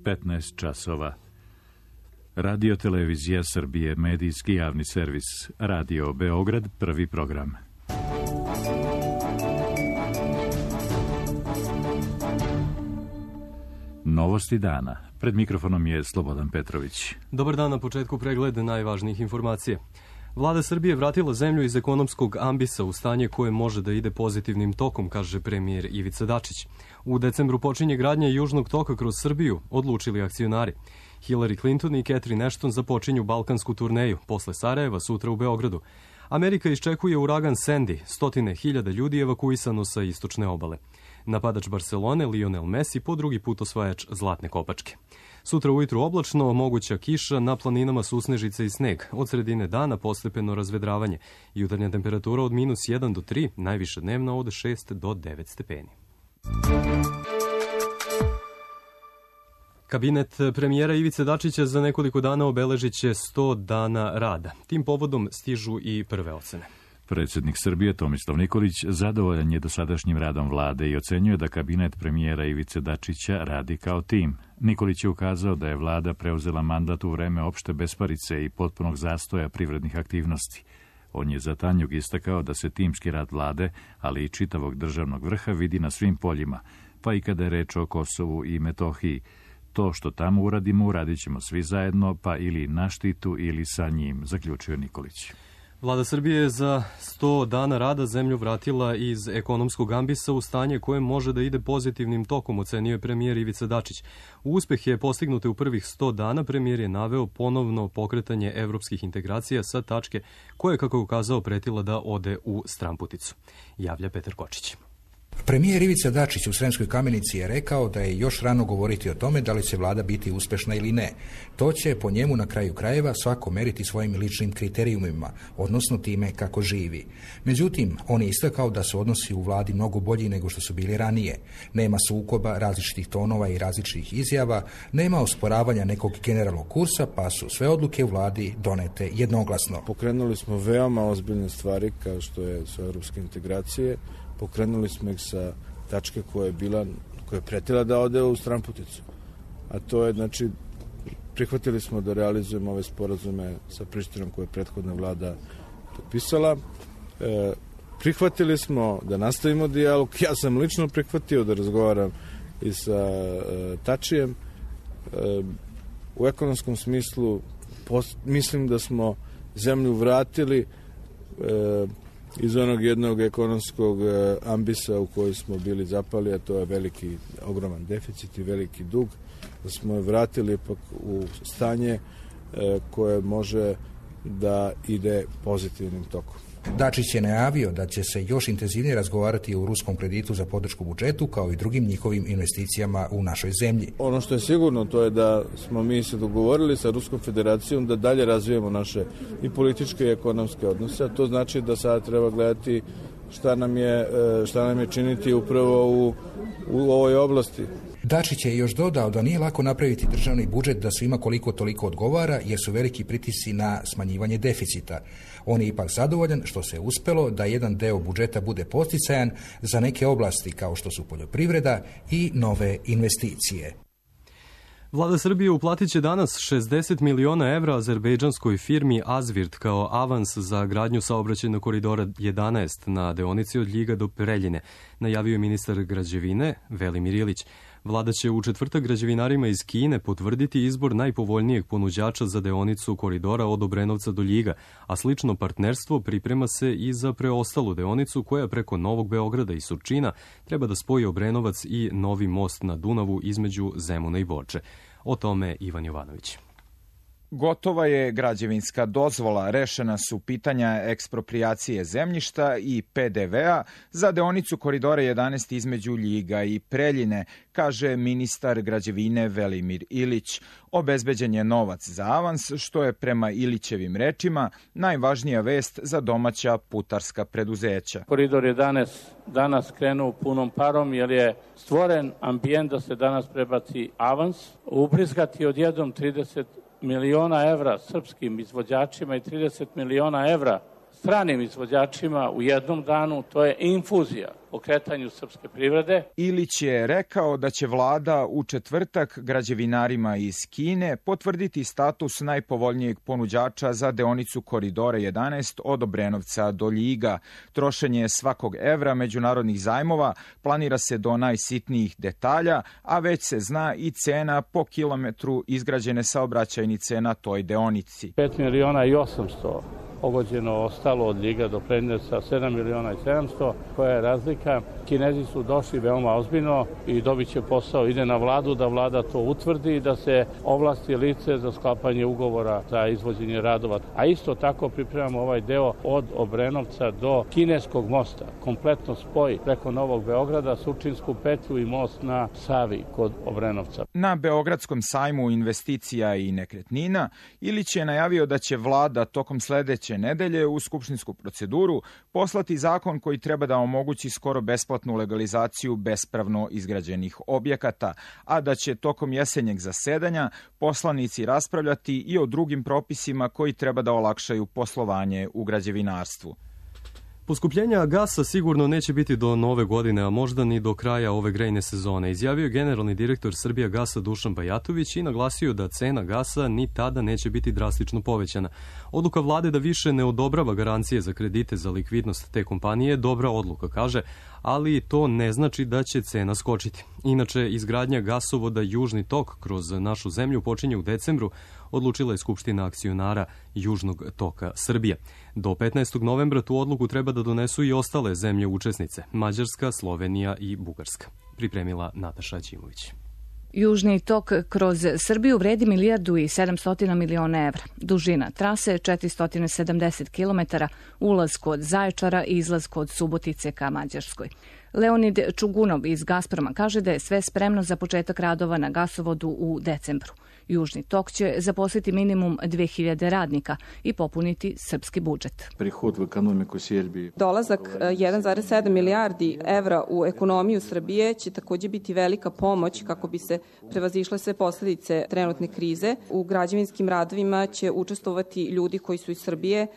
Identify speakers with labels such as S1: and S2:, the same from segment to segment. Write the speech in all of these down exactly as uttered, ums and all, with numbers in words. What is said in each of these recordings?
S1: petnaest časova. Radio Televizija Srbije, medijski javni servis. Radio Beograd, prvi program. Novosti dana. Pred mikrofonom je Slobodan Petrović.
S2: Dobar dan, na početku pregled najvažnijih informacija. Vlada Srbije vratila zemlju iz ekonomskog ambisa u stanje koje može da ide pozitivnim tokom, kaže premijer Ivica Dačić. U decembru počinje gradnja Južnog toka kroz Srbiju, odlučili akcionari. Hillary Clinton i Catherine Ashton započinju balkansku turneju, posle Sarajeva sutra u Beogradu. Amerika iščekuje uragan Sandy, stotine hiljada ljudi evakuisano sa istočne obale. Napadač Barcelone, Lionel Messi, po drugi put osvajač zlatne kopačke. Sutra ujutru oblačno, moguća kiša, na planinama susnežice i sneg. Od sredine dana postepeno razvedravanje. Jutarnja temperatura od minus jedan do tri, najviše dnevna od šest do devet stepeni. Kabinet premijera Ivice Dačića za nekoliko dana obeležit će sto dana rada. Tim povodom stižu i prve ocene.
S1: Predsjednik Srbije Tomislav Nikolić zadovoljan je dosadašnjim radom vlade i ocenjuje da kabinet premijera Ivice Dačića radi kao tim. Nikolić je ukazao da je vlada preuzela mandat u vreme opšte besparice i potpunog zastoja privrednih aktivnosti. On je za Tanjug istakao da se timski rad vlade, ali i čitavog državnog vrha vidi na svim poljima, pa i kada je reč o Kosovu i Metohiji. To što tamo uradimo, uradit ćemo svi zajedno, pa ili na štitu ili sa njim, zaključio Nikolić.
S2: Vlada Srbije je za sto dana rada zemlju vratila iz ekonomskog ambisa u stanje koje može da ide pozitivnim tokom, ocenio je premijer Ivica Dačić. Uspeh je postignut u prvih sto dana, premijer je naveo ponovno pokretanje evropskih integracija sa tačke koje, kako je ukazao, pretila da ode u stramputicu. Javlja Petar Kočić.
S3: Premijer Ivica Dačić u Sremskoj Kamenici je rekao da je još rano govoriti o tome da li će vlada biti uspešna ili ne. To će po njemu na kraju krajeva svako meriti svojim ličnim kriterijumima, odnosno time kako živi. Međutim, on je istakao da su odnosi u vladi mnogo bolji nego što su bili ranije. Nema sukoba, različitih tonova i različitih izjava, nema osporavanja nekog generalnog kursa, pa su sve odluke u vladi donete jednoglasno.
S4: Pokrenuli smo veoma ozbiljne stvari kao što je su evropske integracije. Pokrenuli smo ih sa tačke koja je bila, koja je pretila da ode u stramputicu. A to je, znači, prihvatili smo da realizujemo ove sporazume sa Prištinom koje je prethodna vlada potpisala. E, prihvatili smo da nastavimo dijalog. Ja sam lično prihvatio da razgovaram i sa e, Tačijem. E, u ekonomskom smislu post, mislim da smo zemlju vratili e, iz onog jednog ekonomskog ambisa u koji smo bili zapali, a to je veliki, ogroman deficit i veliki dug, da smo je vratili ipak u stanje koje može da ide pozitivnim tokom.
S3: Dačić je najavio da će se još intenzivnije razgovarati o ruskom kreditu za podršku budžetu kao i drugim njihovim investicijama u našoj zemlji.
S4: Ono što je sigurno to je da smo mi se dogovorili sa Ruskom federacijom da dalje razvijemo naše i političke i ekonomske odnose, a to znači da sada treba gledati šta nam je, šta nam je činiti upravo u, u ovoj oblasti.
S3: Dačić je još dodao da nije lako napraviti državni budžet da svima koliko toliko odgovara jer su veliki pritisci na smanjivanje deficita. On je ipak zadovoljan što se uspelo da jedan deo budžeta bude posticajan za neke oblasti kao što su poljoprivreda i nove investicije.
S2: Vlada Srbije uplatit će danas šezdeset miliona evra azerbejdžanskoj firmi Azvirt kao avans za gradnju saobraćajnog koridora jedanaest na deonici od Ljiga do Preljine, najavio je ministar građevine Velimir Ilić. Vlada će u četvrtak građevinarima iz Kine potvrditi izbor najpovoljnijeg ponuđača za deonicu koridora od Obrenovca do Ljiga, a slično partnerstvo priprema se i za preostalu deonicu koja preko Novog Beograda i Surčina treba da spoji Obrenovac i novi most na Dunavu između Zemuna i Borče. O tome Ivan Jovanović.
S5: Gotova je građevinska dozvola, rešena su pitanja eksproprijacije zemljišta i P D V-a za deonicu koridora jedanaest između Ljiga i Preljine, kaže ministar građevine Velimir Ilić. Obezbeđen je novac za avans, što je prema Ilićevim rečima najvažnija vest za domaća putarska preduzeća.
S6: Koridor jedanaest danas krenuo punom parom jer je stvoren ambijent da se danas prebaci avans, ubrizgati odjednom trideset miliona evra srpskim izvođačima i trideset miliona evra stranim izvođačima u jednom danu, to je infuzija pokretanju srpske privrede.
S5: Ilić je rekao da će vlada u četvrtak građevinarima iz Kine potvrditi status najpovoljnijeg ponuđača za deonicu Koridora jedanaest od Obrenovca do Ljiga. Trošenje svakog evra međunarodnih zajmova planira se do najsitnijih detalja, a već se zna i cena po kilometru izgrađene saobraćajnice na toj deonici.
S6: pet miliona i osamsto pogođeno ostalo od Ljiga do Prednjevca, sedam miliona i sedamsto, koja je razlika. Kinezi su došli veoma ozbiljno i dobit će posao, ide na vladu da vlada to utvrdi i da se ovlasti lice za sklapanje ugovora za izvođenje radova. A isto tako pripremamo ovaj deo od Obrenovca do Kineskog mosta, kompletno spoj preko Novog Beograda, Surčinsku petlju i most na Savi kod Obrenovca.
S5: Na Beogradskom sajmu investicija i nekretnina Ilić je najavio da će vlada tokom sledeće nedelje u skupštinsku proceduru poslati zakon koji treba da omogući skoro besplatnu legalizaciju bespravno izgrađenih objekata, a da će tokom jesenjeg zasedanja poslanici raspravljati i o drugim propisima koji treba da olakšaju poslovanje u građevinarstvu.
S2: Poskupljenja gasa sigurno neće biti do nove godine, a možda ni do kraja ove grejne sezone, izjavio je generalni direktor Srbijagasa Dušan Bajatović i naglasio da cena gasa ni tada neće biti drastično povećana. Odluka vlade da više ne odobrava garancije za kredite za likvidnost te kompanije je dobra odluka, kaže, ali to ne znači da će cena skočiti. Inače, izgradnja gasovoda Južni tok kroz našu zemlju počinje u decembru, odlučila je Skupština akcionara Južnog toka Srbije. Do petnaestog novembra tu odluku treba da donesu i ostale zemlje učesnice, Mađarska, Slovenija i Bugarska. Pripremila Nataša Ćimović.
S7: Južni tok kroz Srbiju vredi milijardu i sedamsto miliona evra. Dužina trase je četiristo sedamdeset kilometara, ulaz kod Zaječara i izlaz kod Subotice ka Mađarskoj. Leonid Čugunov iz Gazproma kaže da je sve spremno za početak radova na gasovodu u decembru. Južni tok će zaposliti minimum dve hiljade radnika i popuniti srpski budžet.
S8: Prihod u ekonomiku Srbije.
S9: Dolazak jedan zarez sedam milijardi evra u ekonomiju Srbije će takođe biti velika pomoć kako bi se prevazišle sve posledice trenutne krize. U građevinskim radovima će učestvovati ljudi koji su iz Srbije.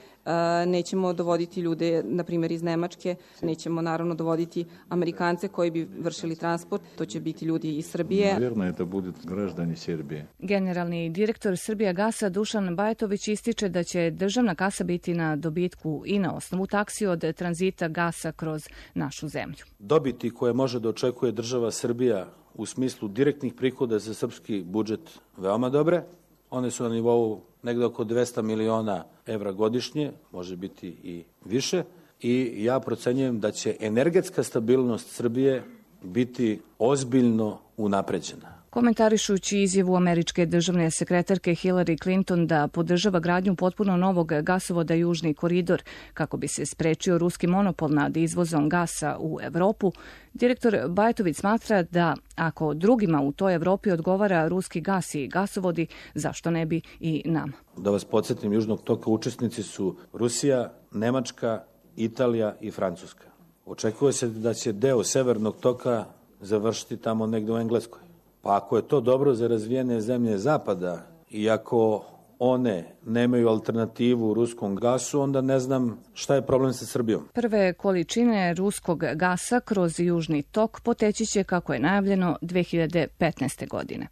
S9: Nećemo dovoditi ljude, na primjer, iz Nemačke, nećemo naravno dovoditi Amerikance koji bi vršili transport, to će biti ljudi iz Srbije.
S8: Naravno je da budu građani Srbije.
S7: Generalni direktor Srbijagasa Dušan Bajatović ističe da će državna kasa biti na dobitku i na osnovu taksi od tranzita gasa kroz našu zemlju.
S10: Dobiti koje može da očekuje država Srbija u smislu direktnih prihoda za srpski budžet veoma dobre. One su na nivou negde oko dvesta miliona evra godišnje, može biti i više. I ja procenjujem da će energetska stabilnost Srbije biti ozbiljno unapređena.
S7: Komentarišući izjavu američke državne sekretarke Hillary Clinton da podržava gradnju potpuno novog gasovoda Južni koridor kako bi se sprečio ruski monopol nad izvozom gasa u Evropu, direktor Bajatović smatra da ako drugima u toj Evropi odgovara ruski gas i gasovodi, zašto ne bi i nama?
S10: Da vas podsjetim, Južnog toka učesnici su Rusija, Nemačka, Italija i Francuska. Očekuje se da će deo Severnog toka završiti tamo negde u Engleskoj. Pa ako je to dobro za razvijene zemlje Zapada i ako one nemaju alternativu ruskom gasu, onda ne znam šta je problem sa Srbijom.
S7: Prve količine ruskog gasa kroz Južni tok poteći će, kako je najavljeno, dve hiljade petnaeste. godine.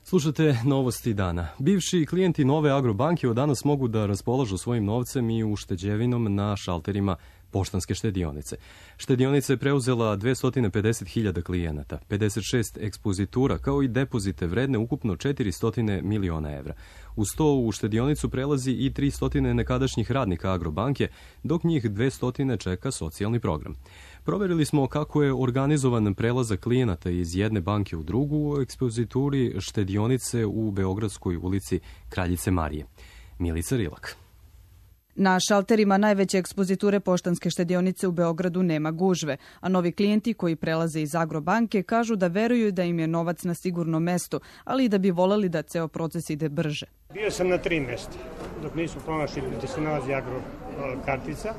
S2: Slušate novosti dana. Bivši klijenti Nove Agrobanke od danas mogu da raspolažu svojim novcem i ušteđevinom na šalterima Poštanske štedionice. Štedionica je preuzela dvesta pedeset hiljada klijenata, pedeset šest ekspozitura, kao i depozite vredne ukupno četiristo miliona evra. Uz to u štedionicu prelazi i tristo nekadašnjih radnika Agrobanke, dok njih dvesta čeka socijalni program. Proverili smo kako je organizovan prelazak klijenata iz jedne banke u drugu u ekspozituri štedionice u Beogradskoj ulici Kraljice Marije. Milica Rilak.
S11: Na šalterima najveće ekspoziture Poštanske štedionice u Beogradu nema gužve, a novi klijenti koji prelaze iz Agrobanke kažu da veruju da im je novac na sigurnom mestu, ali i da bi voleli da ceo proces ide brže.
S12: Bio sam na tri mesta, dok nisu pronašli gde se nalazi agro kartica.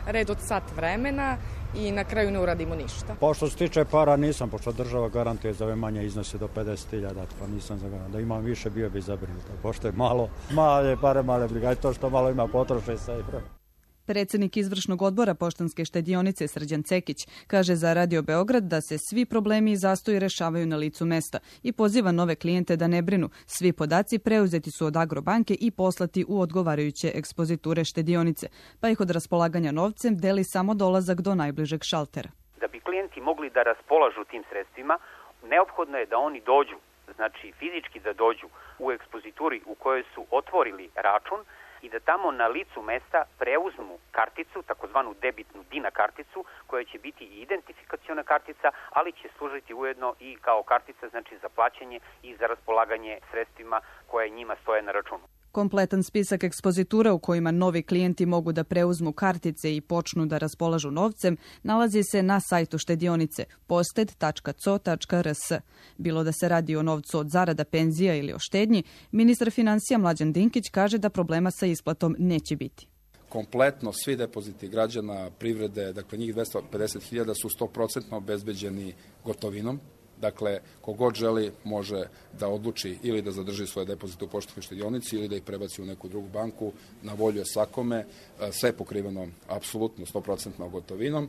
S13: Red od sat vremena i na kraju ne uradimo ništa.
S14: Pošto se tiče para nisam, pošto država garantuje za ove manje iznose do pedeset hiljada, pa nisam za garant. Da imam više bio bi zabrinut. Pošto je malo, male pare, male briga, to što malo ima potroše se i pre.
S11: Predsednik izvršnog odbora Poštanske štedionice Srđan Cekić kaže za Radio Beograd da se svi problemi i zastoji rešavaju na licu mesta i poziva nove klijente da ne brinu. Svi podaci preuzeti su od Agrobanke i poslati u odgovarajuće ekspoziture štedionice, pa ih od raspolaganja novcem deli samo dolazak do najbližeg šaltera.
S15: Da bi klijenti mogli da raspolažu tim sredstvima, neophodno je da oni dođu, znači fizički da dođu u ekspozituri u kojoj su otvorili račun i da tamo na licu mesta preuzmu karticu, takozvanu debitnu DINA karticu, koja će biti i identifikaciona kartica, ali će služiti ujedno i kao kartica, znači za plaćanje i za raspolaganje sredstvima koje njima stoje na računu.
S11: Kompletan spisak ekspozitura u kojima novi klijenti mogu da preuzmu kartice i počnu da raspolažu novcem nalazi se na sajtu štedionice posted tačka co tačka rs. Bilo da se radi o novcu od zarada, penzija ili o štednji, ministar finansija Mlađan Dinkić kaže da problema sa isplatom neće biti.
S16: Kompletno svi depoziti građana, privrede, dakle njih dvesta pedeset hiljada su sto posto obezbeđeni gotovinom. Dakle, kogod želi može da odluči ili da zadrži svoje depozite u poštanskoj štedionici ili da ih prebaci u neku drugu banku, na volju je svakome, sve je pokriveno apsolutno sto posto gotovinom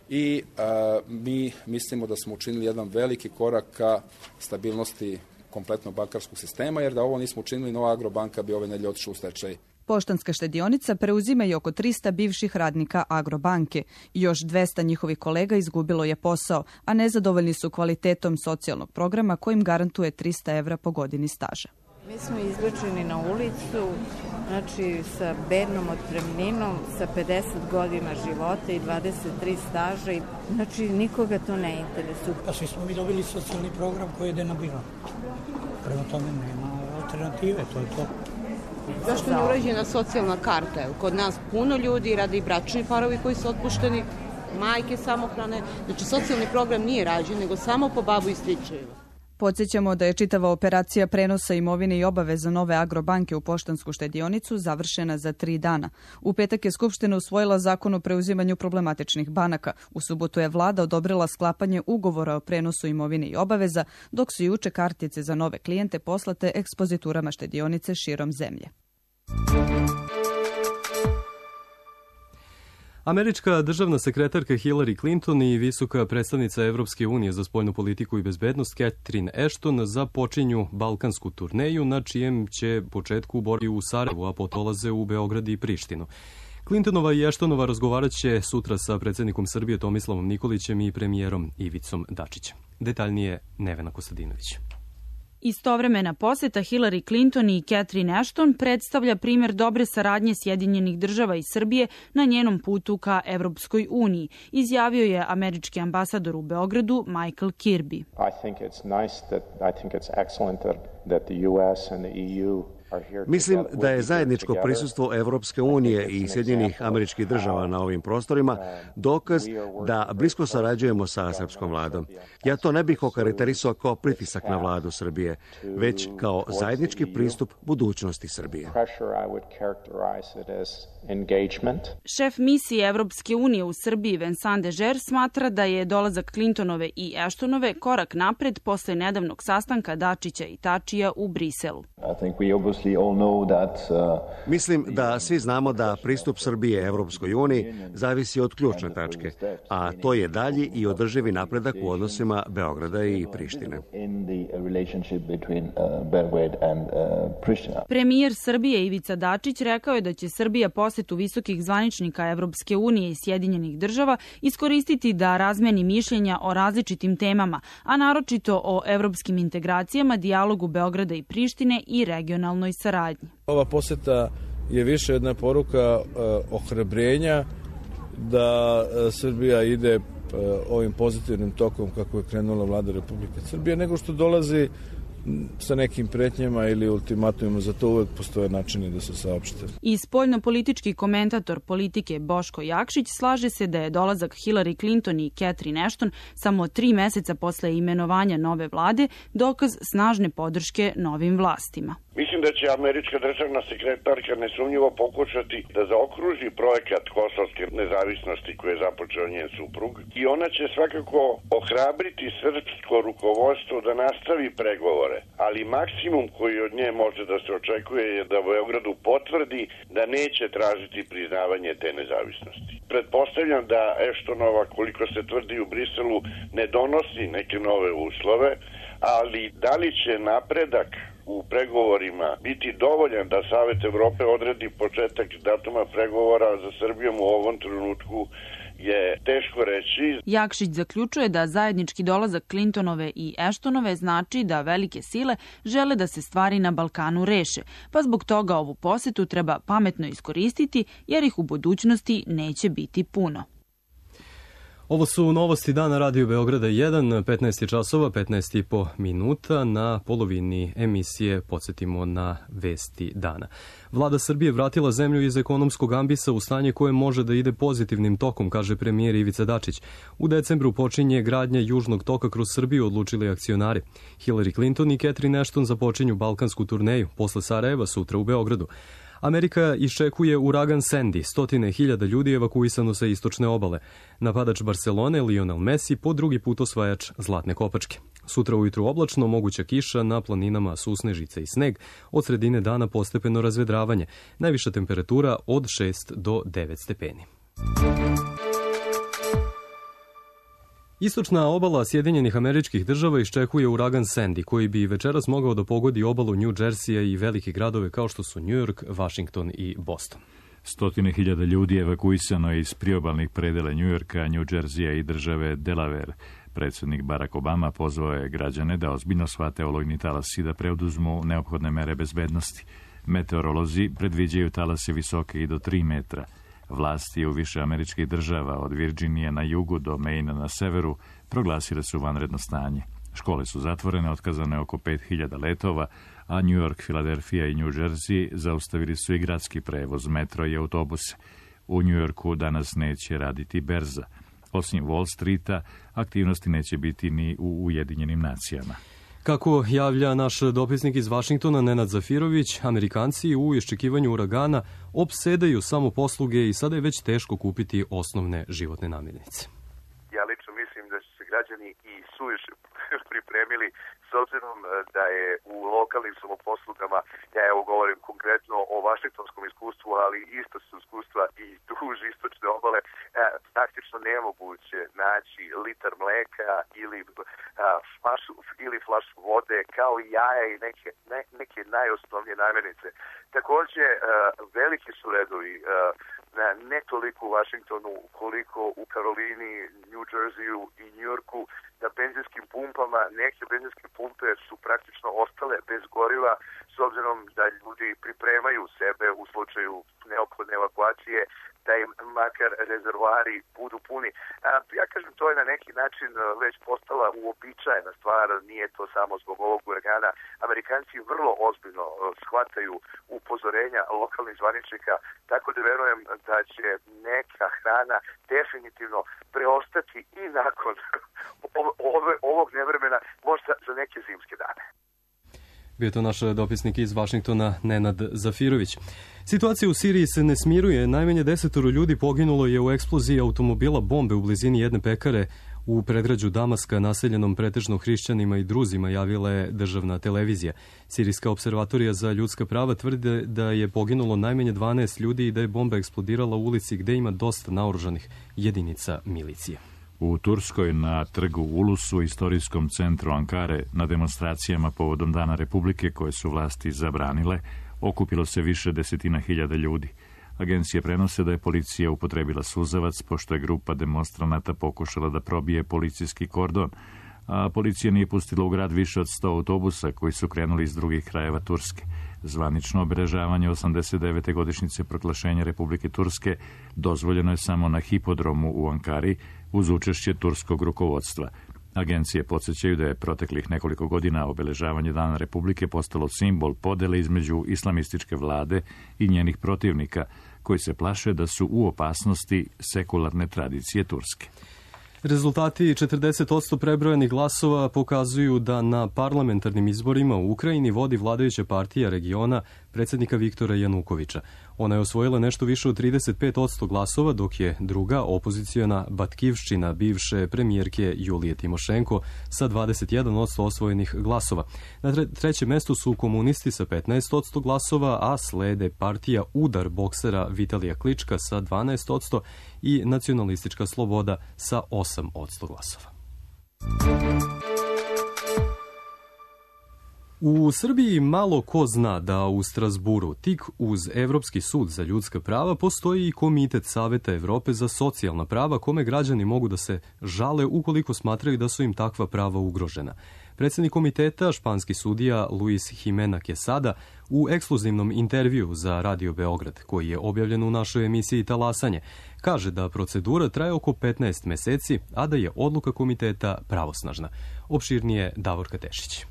S16: i a, mi mislimo da smo učinili jedan veliki korak ka stabilnosti kompletnog bankarskog sistema, jer da ovo nismo učinili, Nova Agrobanka bi ove nedelje otišla u stečaj.
S11: Poštanska štedionica preuzima i oko trista bivših radnika Agrobanke. Još dvesta njihovih kolega izgubilo je posao, a nezadovoljni su kvalitetom socijalnog programa kojim garantuje trista evra po godini staža.
S17: Mi smo izbačeni na ulicu, znači sa bednom otpremninom, sa pedeset godina života i dvadeset tri staža, i, znači nikoga to ne interesuje.
S18: A svi smo mi dobili socijalni program koji je denabilan. Prema tome nema alternative, to je to.
S19: Zašto je urađena socijalna karta? Kod nas puno ljudi, rade i bračni parovi koji su otpušteni, majke samohrane. Znači, socijalni program nije rađen, nego samo po babu i stričevima.
S11: Podsjećamo da je čitava operacija prenosa imovine i obaveza Nove Agrobanke u Poštansku štedionicu završena za tri dana. U petak je Skupština usvojila zakon o preuzimanju problematičnih banaka. U subotu je vlada odobrila sklapanje ugovora o prenosu imovine i obaveza, dok su juče kartice za nove klijente poslate ekspoziturama štedionice širom zemlje.
S2: Američka državna sekretarka Hillary Clinton i visoka predstavnica Evropske unije za spoljnu politiku i bezbednost Catherine Ashton započinju balkansku turneju, na čijem će početku boriti u Sarajevu, a potolaze u Beograd i Prištinu. Clintonova i Ashtonova razgovarat će sutra sa predsjednikom Srbije Tomislavom Nikolićem i premijerom Ivicom Dačićem. Detaljnije Nevena Kostadinović.
S20: Istovremena poseta Hillary Clinton i Catherine Ashton predstavlja primer dobre saradnje Sjedinjenih država i Srbije na njenom putu ka Evropskoj uniji, izjavio je američki ambasador u Beogradu Michael Kirby.
S21: I think it's nice that I think it's excellent that, that the U S and the E U
S22: Mislim da je zajedničko prisustvo Evropske unije i Sjedinjenih američkih država na ovim prostorima dokaz da blisko sarađujemo sa srpskom vladom. Ja to ne bih okarakterisao kao pritisak na vladu Srbije, već kao zajednički pristup budućnosti Srbije.
S20: Šef misije Evropske unije u Srbiji Vincent Dežer smatra da je dolazak Clintonove i Ashtonove korak napred posle nedavnog sastanka Dačića i Tačija u Briselu.
S22: Mislim da svi znamo da pristup Srbije Evropskoj uniji zavisi od ključne tačke, a to je dalji i održivi napredak u odnosima Beograda i Prištine.
S20: Premijer Srbije Ivica Dačić rekao je da će Srbija posetu visokih zvaničnika Evropske unije i Sjedinjenih država iskoristiti da razmeni mišljenja o različitim temama, a naročito o evropskim integracijama, dijalogu Beograda i Prištine i regionalnoj saradnji.
S4: Ova poseta je više jedna poruka uh, ohrabrenja da uh, Srbija ide uh, ovim pozitivnim tokom kako je krenula vlada Republike Srbije, nego što dolazi sa nekim pretnjama ili ultimatumima, za to uvek postoje načini da se saopšte.
S20: I spoljnopolitički komentator politike Boško Jakšić slaže se da je dolazak Hillary Clinton i Catherine Ashton samo tri meseca posle imenovanja nove vlade dokaz snažne podrške novim vlastima.
S23: Mislim da će američka državna sekretarka nesumnjivo pokušati da zaokruži projekat kosovske nezavisnosti koje je započeo njen suprug i ona će svakako ohrabriti srpsko rukovodstvo da nastavi pregovore uslove, ali maksimum koji od nje može da se očekuje je da Beogradu potvrdi da neće tražiti priznavanje te nezavisnosti. Pretpostavljam da Eštonova, koliko se tvrdi u Briselu, ne donosi neke nove uslove, ali da li će napredak u pregovorima biti dovoljan da Savet Evrope odredi početak datuma pregovora za Srbijom u ovom trenutku je teško reći.
S20: Jakšić zaključuje da zajednički dolazak Clintonove i Eštonove znači da velike sile žele da se stvari na Balkanu reše, pa zbog toga ovu posetu treba pametno iskoristiti jer ih u budućnosti neće biti puno.
S2: Ovo su novosti dana Radio Beograda jedan, petnaest časova, petnaest i po minuta. Na polovini emisije podsjetimo na vesti dana. Vlada Srbije vratila zemlju iz ekonomskog ambisa u stanje koje može da ide pozitivnim tokom, kaže premijer Ivica Dačić. U decembru počinje gradnja južnog toka kroz Srbiju, odlučili akcionari. Hillary Clinton i Catherine Ashton započinju balkansku turneju, posle Sarajeva sutra u Beogradu. Amerika iščekuje uragan Sandy, stotine hiljada ljudi evakuisano sa istočne obale. Napadač Barcelone, Lionel Messi, po drugi put osvajač Zlatne kopačke. Sutra ujutru oblačno, moguća kiša, na planinama susnežice i sneg, od sredine dana postepeno razvedravanje. Najviša temperatura od šest do devet stepeni. Istočna obala Sjedinjenih Američkih Država iščekuje uragan Sandy, koji bi večeras mogao da pogodi obalu New Jersey-a i velike gradove kao što su New York, Washington i Boston.
S1: Stotine hiljada ljudi evakuisano je iz priobalnih predela New Yorka, New Jersey-a i države Delaware. Predsjednik Barack Obama pozvao je građane da ozbiljno shvate olujni talas i da preuduzmu neophodne mere bezbednosti. Meteorolozi predviđaju talase visoke i do tri metra. Vlasti u više američkih država, od Virginije na jugu do Maina na severu, proglasile su vanredno stanje. Škole su zatvorene, otkazane oko pet hiljada letova, a New York, Filadelfija i New Jersey zaustavili su i gradski prevoz, metro i autobuse. U New Yorku danas neće raditi berza. Osim Wall Streeta, aktivnosti neće biti ni u Ujedinjenim nacijama.
S2: Kako javlja naš dopisnik iz Vašingtona Nenad Zafirović, Amerikanci u iščekivanju uragana opsedaju samo posluge i sada je već teško kupiti osnovne životne namirnice.
S3: Ja lično mislim da su se građani i suviše pripremili s obzirom da je u lokalnim samoposlugama, ja evo govorim konkretno o vašingtonskom iskustvu, ali isto su iskustva i duž istočne obale, praktično nemoguće naći litar mleka ili flašu, ili flašu vode, kao i jaja i neke, ne, neke najosnovnije namirnice. Takođe, veliki su redovi, ne toliko u Washingtonu koliko u Karolini, New Jerseyu i New Yorku, na benzinskim pumpama. Neke benzinske pumpe su praktično ostale bez goriva s obzirom da ljudi pripremaju sebe u slučaju neophodne evakuacije, da im makar rezervoari budu puni. A, ja kažem, to je na neki način već postala uobičajena stvar, nije to samo zbog ovog uragana. Amerikanci vrlo ozbiljno shvataju upozorenja lokalnih zvaničnika, tako da verujem da će neka hrana definitivno preostati i nakon ove, ovog nevremena, možda za neke zimske dane.
S2: Bio to naš dopisnik iz Vašingtona Nenad Zafirović. Situacija u Siriji se ne smiruje. Najmanje desetoro ljudi poginulo je u eksploziji automobila bombe u blizini jedne pekare u predgrađu Damaska, naseljenom pretežno hrišćanima i druzima, javila je državna televizija. Sirijska observatorija za ljudska prava tvrde da je poginulo najmanje dvanaest ljudi i da je bomba eksplodirala u ulici gde ima dosta naoružanih jedinica milicije.
S1: U Turskoj na trgu Ulusu, istorijskom centru Ankare, na demonstracijama povodom Dana Republike koje su vlasti zabranile, okupilo se više desetina hiljada ljudi. Agencije prenose da je policija upotrebila suzavac, pošto je grupa demonstranata pokušala da probije policijski kordon, a policija nije pustila u grad više od sto autobusa koji su krenuli iz drugih krajeva Turske. Zvanično obeležavanje osamdeset devete godišnjice proglašenja Republike Turske dozvoljeno je samo na hipodromu u Ankari uz učešće turskog rukovodstva. Agencije podsjećaju da je proteklih nekoliko godina obeležavanje Dana Republike postalo simbol podele između islamističke vlade i njenih protivnika, koji se plaše da su u opasnosti sekularne tradicije Turske.
S2: Rezultati četrdeset posto prebrojenih glasova pokazuju da na parlamentarnim izborima u Ukrajini vodi vladajuća partija regiona predsjednika Viktora Janukovića. Ona je osvojila nešto više od trideset pet posto glasova, dok je druga opozicijona Batkivščina bivše premijerke Julije Timošenko sa dvadeset jedan posto osvojenih glasova. Na trećem mestu su komunisti sa petnaest posto glasova, a slede partija Udar boksera Vitalija Klička sa dvanaest posto i Nacionalistička sloboda sa osam posto glasova. U Srbiji malo ko zna da u Strazburu, tik uz Evropski sud za ljudska prava, postoji i Komitet Saveta Evrope za socijalna prava, kome građani mogu da se žale ukoliko smatraju da su im takva prava ugrožena. Predsjednik komiteta, španski sudija Luis Jimena Quesada, u ekskluzivnom intervju za Radio Beograd, koji je objavljen u našoj emisiji Talasanje, kaže da procedura traje oko petnaest meseci, a da je odluka komiteta pravosnažna. Opširnije Davorka Tešić.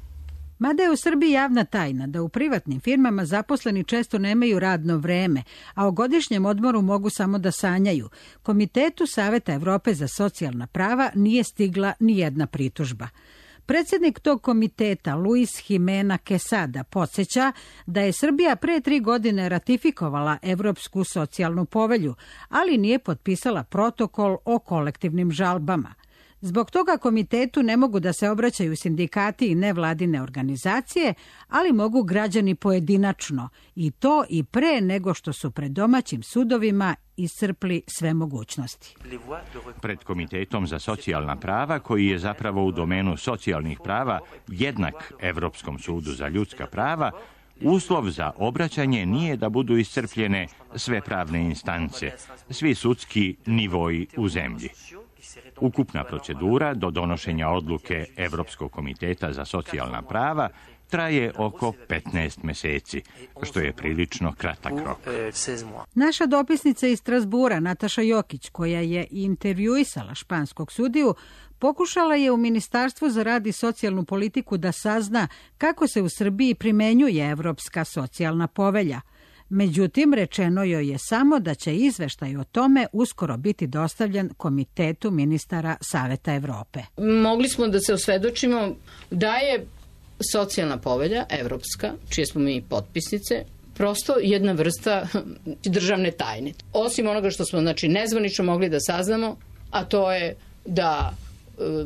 S5: Mada je u Srbiji javna tajna da u privatnim firmama zaposleni često nemaju radno vreme, a o godišnjem odmoru mogu samo da sanjaju, Komitetu Saveta Evrope za socijalna prava nije stigla ni jedna pritužba. Predsjednik tog komiteta, Luis Jimena Quesada, podsjeća da je Srbija pre tri godine ratifikovala Evropsku socijalnu povelju, ali nije potpisala protokol o kolektivnim žalbama. Zbog toga komitetu ne mogu da se obraćaju sindikati i nevladine organizacije, ali mogu građani pojedinačno, i to i pre nego što su pred domaćim sudovima iscrpli sve mogućnosti.
S6: Pred Komitetom za socijalna prava, koji je zapravo u domenu socijalnih prava jednak Evropskom sudu za ljudska prava, uslov za obraćanje nije da budu iscrpljene sve pravne instance, svi sudski nivoji u zemlji. Ukupna procedura do donošenja odluke Evropskog komiteta za socijalna prava traje oko petnaest meseci, što je prilično kratak rok.
S5: Naša dopisnica iz Strazbura, Nataša Jokić, koja je intervjuisala španskog sudiju, pokušala je u Ministarstvu za rad i socijalnu politiku da sazna kako se u Srbiji primenjuje Evropska socijalna povelja. Međutim, rečeno joj je samo da će izveštaj o tome uskoro biti dostavljen Komitetu ministara Saveta Evrope.
S9: Mogli smo da se osvedočimo da je socijalna povelja, evropska, čije smo mi potpisnice, prosto jedna vrsta državne tajne. Osim onoga što smo znači, nezvanično mogli da saznamo, a to je da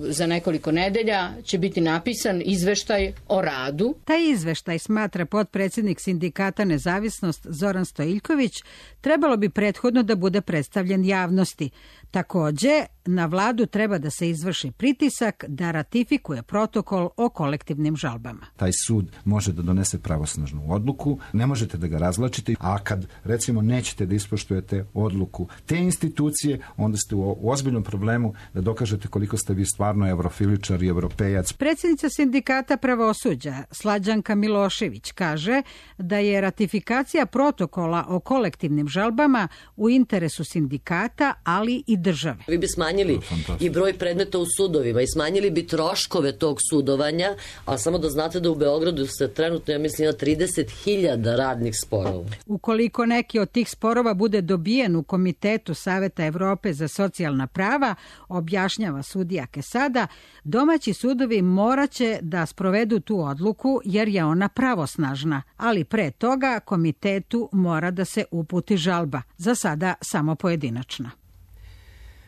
S9: za nekoliko nedelja će biti napisan izveštaj o radu.
S5: Taj izveštaj, smatra potpredsjednik sindikata Nezavisnost Zoran Stojiljković, trebalo bi prethodno da bude predstavljen javnosti. Takođe, na vladu treba da se izvrši pritisak da ratifikuje protokol o kolektivnim žalbama.
S24: Taj sud može da donese pravosnažnu odluku, ne možete da ga razvlačite, a kad recimo nećete da ispoštujete odluku te institucije, onda ste u ozbiljnom problemu da dokažete koliko ste vi stvarno evrofiličar i evropejac.
S5: Predsjednica sindikata pravosuđa Slađanka Milošević kaže da je ratifikacija protokola o kolektivnim žalbama u interesu sindikata, ali i države.
S25: Vi bi smanjili i broj predmeta u sudovima i smanjili bi troškove tog sudovanja, a samo da znate da u Beogradu se trenutno, ja mislim, ima trideset hiljada radnih sporova.
S5: Ukoliko neki od tih sporova bude dobijen u Komitetu Saveta Evrope za socijalna prava, objašnjava sudija Quesada, domaći sudovi moraće da sprovedu tu odluku jer je ona pravosnažna, ali pre toga komitetu mora da se uputi žalba, za sada samo pojedinačna.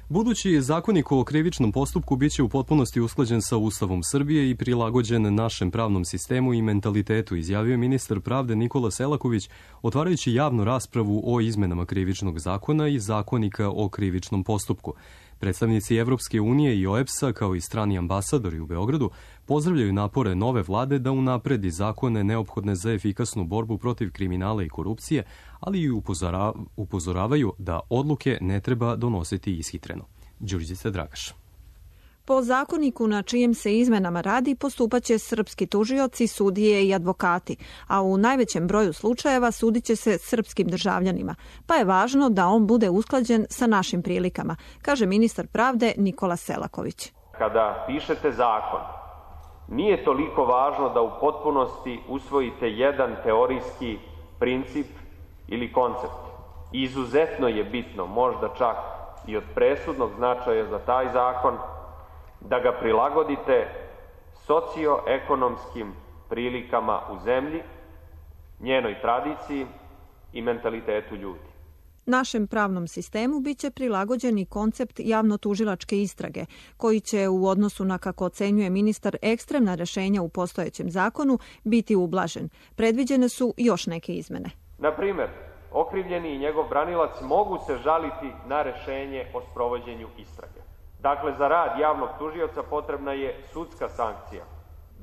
S2: Budući zakonik o krivičnom postupku biće u potpunosti usklađen sa Ustavom Srbije i prilagođen našem pravnom sistemu i mentalitetu, izjavio ministar pravde Nikola Selaković, otvarajući javnu raspravu o izmenama krivičnog zakona i zakonika o krivičnom postupku. Predstavnici Evropske unije i O E B S-a, kao i strani ambasadori u Beogradu, pozdravljaju napore nove vlade da unapredi zakone neophodne za efikasnu borbu protiv kriminala i korupcije, ali i upozoravaju da odluke ne treba donositi ishitreno. Đurđica Dragaš.
S26: Po zakoniku na čijem se izmenama radi postupaće srpski tužioci, sudije i advokati, a u najvećem broju slučajeva sudiće se srpskim državljanima, pa je važno da on bude usklađen sa našim prilikama, kaže ministar pravde Nikola Selaković.
S27: Kada pišete zakon, nije toliko važno da u potpunosti usvojite jedan teorijski princip ili koncept. Izuzetno je bitno, možda čak i od presudnog značaja za taj zakon, da ga prilagodite socioekonomskim prilikama u zemlji, njenoj tradiciji, i mentalitetu ljudi.
S26: Našem pravnom sistemu biće prilagođen i koncept javno-tužilačke istrage, koji će u odnosu na, kako ocenjuje ministar, ekstremna rešenja u postojećem zakonu biti ublažen. Predviđene su još neke izmene.
S27: Na primer, okrivljeni i njegov branilac mogu se žaliti na rešenje o sprovođenju istrage. Dakle, za rad javnog tužioca potrebna je sudska sankcija.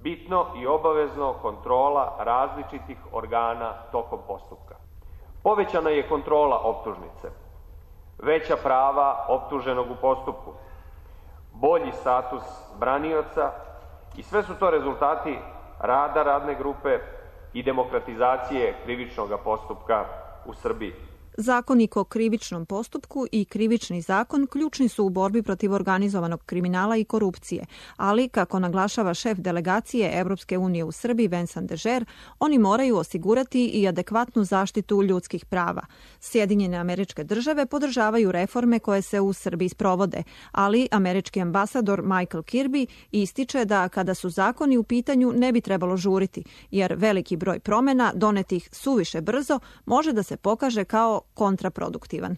S27: Bitno i obavezno kontrola različitih organa tokom postupka. Povećana je kontrola optužnice, veća prava optuženog u postupku, bolji status branioca i sve su to rezultati rada radne grupe i demokratizacije krivičnog postupka u Srbiji.
S26: Zakonik o krivičnom postupku i krivični zakon ključni su u borbi protiv organizovanog kriminala i korupcije, ali, kako naglašava šef delegacije Evropske unije u Srbiji Vincent Dežer, oni moraju osigurati i adekvatnu zaštitu ljudskih prava. Sjedinjene Američke Države podržavaju reforme koje se u Srbiji sprovode, ali američki ambasador Michael Kirby ističe da kada su zakoni u pitanju ne bi trebalo žuriti, jer veliki broj promena donetih suviše brzo može da se pokaže kao kontraproduktivan.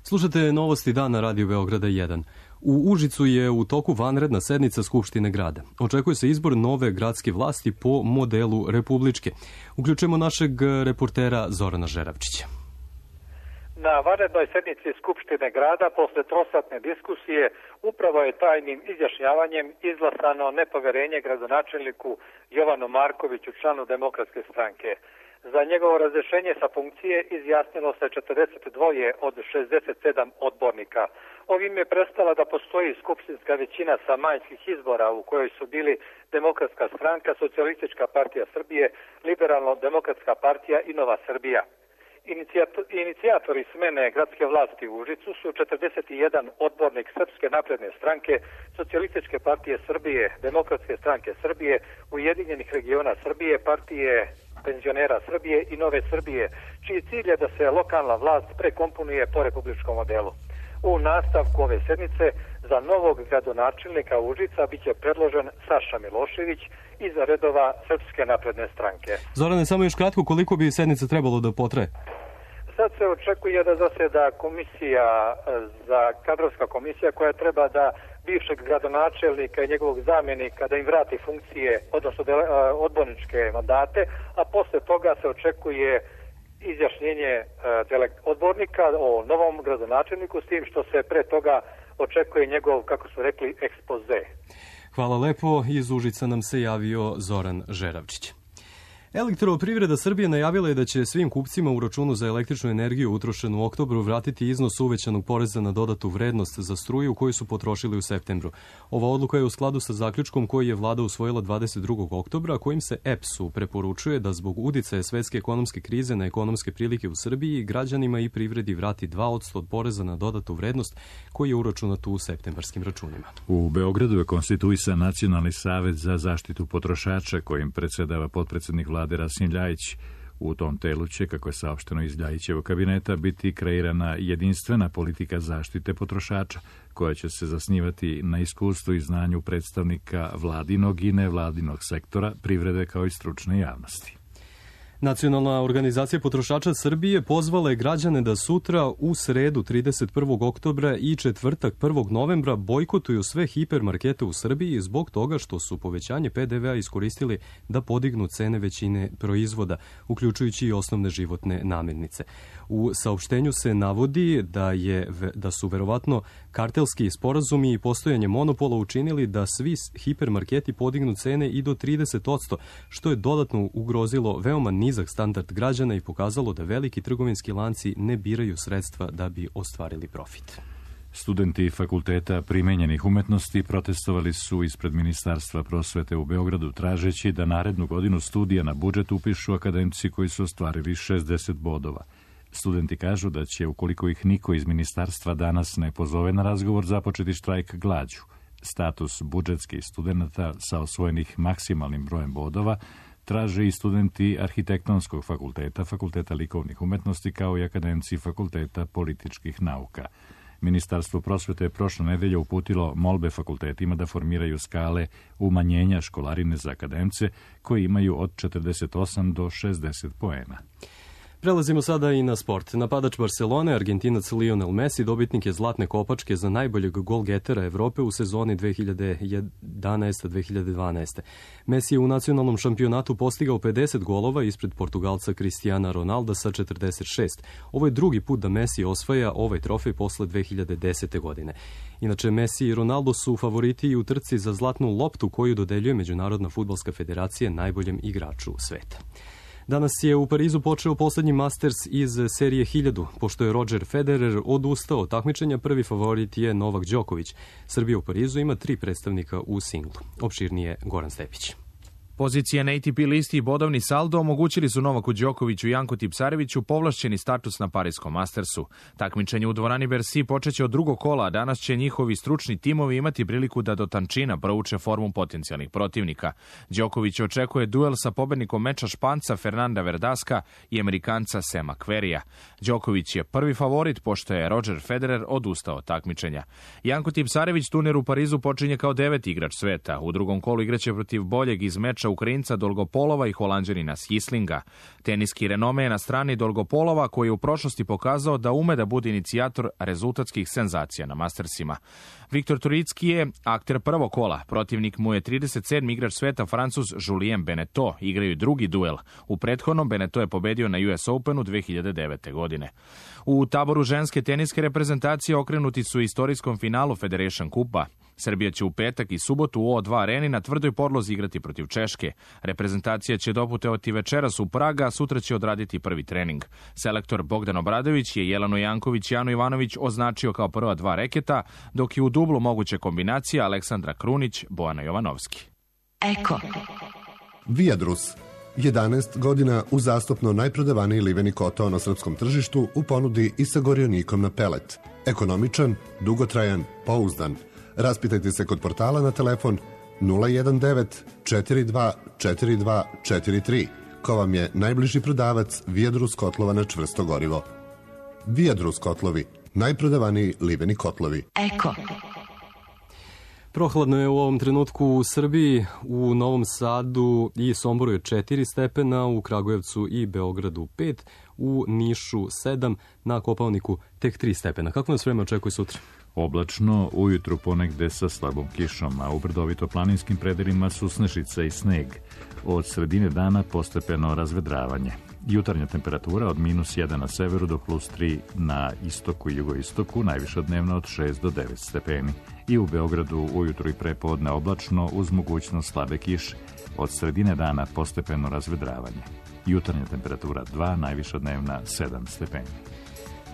S2: Slušate novosti dana Radio Beograda jedan. U Užicu je u toku vanredna sednica Skupštine grada. Očekuje se izbor nove gradske vlasti po modelu republičke. Uključujemo našeg reportera Zorana Žeravčića.
S7: Na vanrednoj sednici Skupštine grada posle trosatne diskusije upravo je tajnim izjašnjavanjem izglasano nepoverenje gradonačelniku Jovanu Markoviću, članu Demokratske stranke. Za njegovo razrešenje sa funkcije izjasnilo se četrdeset dva od šezdeset sedam odbornika. Ovim je prestala da postoji skupštinska većina sa majskih izbora u kojoj su bili Demokratska stranka, Socijalistička partija Srbije, Liberalno-demokratska partija i Nova Srbija. Inicijatori smene gradske vlasti u Užicu su četrdeset jedan odbornik Srpske napredne stranke, Socijalističke partije Srbije, Demokratske stranke Srbije, Ujedinjenih regiona Srbije, partije penzionera Srbije i Nove Srbije, čiji cilj je da se lokalna vlast prekomponuje po republičkom modelu. U nastavku ove sednice za novog gradonačelnika Užica biće predložen Saša Milošević iz redova Srpske napredne stranke.
S2: Zorane, samo još kratko, koliko bi sednica trebalo da potraje?
S7: Sad se očekuje da zaseda komisija, za kadrovska komisija koja treba da bivšeg gradonačelnika i njegovog zamjenika da im vrati funkcije, odnosno odborničke mandate, a posle toga se očekuje izjašnjenje odbornika o novom gradonačelniku, s tim što se pre toga očekuje njegov, kako su rekli, ekspoze.
S2: Hvala lepo. Iz Užica nam se javio Zoran Žeravčić. Elektroprivreda Srbije najavila je da će svim kupcima u računu za električnu energiju utrošenu u oktobru vratiti iznos uvećanog poreza na dodatu vrednost za struju koju su potrošili u septembru. Ova odluka je u skladu sa zaključkom koji je vlada usvojila dvadeset drugog oktobra, kojim se E P S-u preporučuje da zbog uticaja svetske ekonomske krize na ekonomske prilike u Srbiji građanima i privredi vrati dva posto od poreza na dodatu vrednost koji je uračunat u septembarskim računima.
S1: U Beogradu je konstituisan Nacionalni savet za zaštitu potrošača kojim predsedava potpredsednik vlade Rasim Ljajić. U tom telu će, kako je saopšteno iz Ljajićevog kabineta, biti kreirana jedinstvena politika zaštite potrošača, koja će se zasnivati na iskustvu i znanju predstavnika vladinog i nevladinog sektora, privrede kao i stručne javnosti.
S2: Nacionalna organizacija potrošača Srbije pozvala je građane da sutra u sredu trideset prvog oktobra i četvrtak prvog novembra bojkotuju sve hipermarkete u Srbiji zbog toga što su povećanje P D V-a iskoristili da podignu cene većine proizvoda, uključujući i osnovne životne namirnice. U saopštenju se navodi da, je, da su verovatno kartelski sporazumi i postojanje monopola učinili da svi hipermarketi podignu cene i do trideset posto, što je dodatno ugrozilo veoma nizak standard građana i pokazalo da veliki trgovinski lanci ne biraju sredstva da bi ostvarili profit.
S1: Studenti fakulteta primenjenih umetnosti protestovali su ispred Ministarstva prosvete u Beogradu tražeći da narednu godinu studija na budžet upišu akademci koji su ostvarili šezdeset bodova. Studenti kažu da će, ukoliko ih niko iz ministarstva danas ne pozove na razgovor, započeti štrajk glađu. Status budžetskih studenta sa osvojenih maksimalnim brojem bodova traže i studenti Arhitektonskog fakulteta, Fakulteta likovnih umetnosti, kao i akademci Fakulteta političkih nauka. Ministarstvo prosvete je prošle nedelje uputilo molbe fakultetima da formiraju skale umanjenja školarine za akademce koji imaju od četrdeset osam do šezdeset poena.
S2: Prelazimo sada i na sport. Napadač Barcelone, Argentinac Lionel Messi, dobitnik je zlatne kopačke za najboljeg golgetera Evrope u sezoni dve hiljade jedanaeste dve hiljade dvanaeste. Messi je u nacionalnom šampionatu postigao pedeset golova ispred Portugalca Cristiana Ronalda sa četrdeset šest. Ovo je drugi put da Messi osvaja ovaj trofej posle dve hiljade desete. godine. Inače, Messi i Ronaldo su favoriti i u trci za zlatnu loptu koju dodeljuje Međunarodna fudbalska federacija najboljem igraču sveta. Danas je u Parizu počeo poslednji Masters iz serije hiljadu. Pošto je Roger Federer odustao od takmičenja, prvi favorit je Novak Đoković. Srbija u Parizu ima tri predstavnika u singlu. Opširnije Goran Stepić.
S8: Pozicije na A T P listi i bodovni saldo omogućili su Novaku Đokoviću i Janku Tipsareviću povlašćeni status na Parijskom Mastersu. Takmičenje u dvorani Bercy počeće od drugog kola, a danas će njihovi stručni timovi imati priliku da do tančina prouče formu potencijalnih protivnika. Đoković očekuje duel sa pobednikom meča Španca Fernanda Verdaska i Amerikanca Sema Querrya. Đoković je prvi favorit, pošto je Roger Federer odustao od takmičenja. Janko Tipsarević turnir u Parizu počinje kao deveti igrač sveta. U drugom kolu igraće protiv boljeg iz meča Ukrajinca Dolgopolova i Holanđanina Sislinga. Teniski renome je na strani Dolgopolova, koji je u prošlosti pokazao da ume da bude inicijator rezultatskih senzacija na Mastersima. Viktor Turicki je akter prvog kola. Protivnik mu je trideset sedmi igrač sveta Francuz Julien Beneteau. Igraju drugi duel. U prethodnom Beneteau je pobedio na U S Openu dve hiljade devete. godine. U taboru ženske teniske reprezentacije okrenuti su istorijskom finalu Federation Kupa. Srbija će u petak i subotu u O dva areni na tvrdoj podlozi igrati protiv Češke. Reprezentacija će doputovati večeras u Praga, a sutra će odraditi prvi trening. Selektor Bogdan Obradović je Jelenu Janković i Anu Ivanović označio kao prva dva reketa, dok je u dublu moguće kombinacija Aleksandra Krunić, Bojana Jovanovski.
S10: Eko. Viadrus. jedanaest godina uzastopno najprodavaniji liveni kotao na srpskom tržištu u ponudi i sa gorionikom na pelet. Ekonomičan, dugotrajan, pouzdan. Raspitajte se kod portala na telefon nula jedan devet četiri dva četiri dva četiri tri, ko vam je najbliži prodavac Viadrus kotlova na čvrsto gorivo. Viadrus kotlovi, najprodavaniji liveni kotlovi. Eko.
S2: Prohladno je u ovom trenutku u Srbiji, u Novom Sadu i Somboru je četiri stepena, u Kragujevcu i Beogradu pet, u Nišu sedam, na Kopaoniku tek tri stepena. Kako nas vreme očekuje sutra?
S1: Oblačno, ujutru ponegde sa slabom kišom, a u brdovito-planinskim predelima su snežica i sneg. Od sredine dana postepeno razvedravanje. Jutarnja temperatura od minus jedan na severu do plus tri na istoku i jugoistoku, najviša dnevno od šest do devet stepeni. I u Beogradu ujutru i prepodne oblačno uz mogućnost slabe kiše. Od sredine dana postepeno razvedravanje. Jutarnja temperatura dva, najviša dnevna sedam stepeni.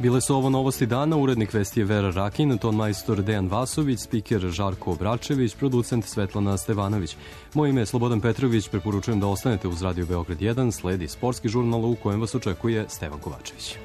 S2: Bile su ovo novosti dana, urednik vesti je Vera Rakin, ton majstor Dejan Vasović, spiker Žarko Obračević, producent Svetlana Stevanović. Moje ime je Slobodan Petrović, preporučujem da ostanete uz Radio Beograd jedan, sledi sportski žurnal u kojem vas očekuje Stevan Kovačević.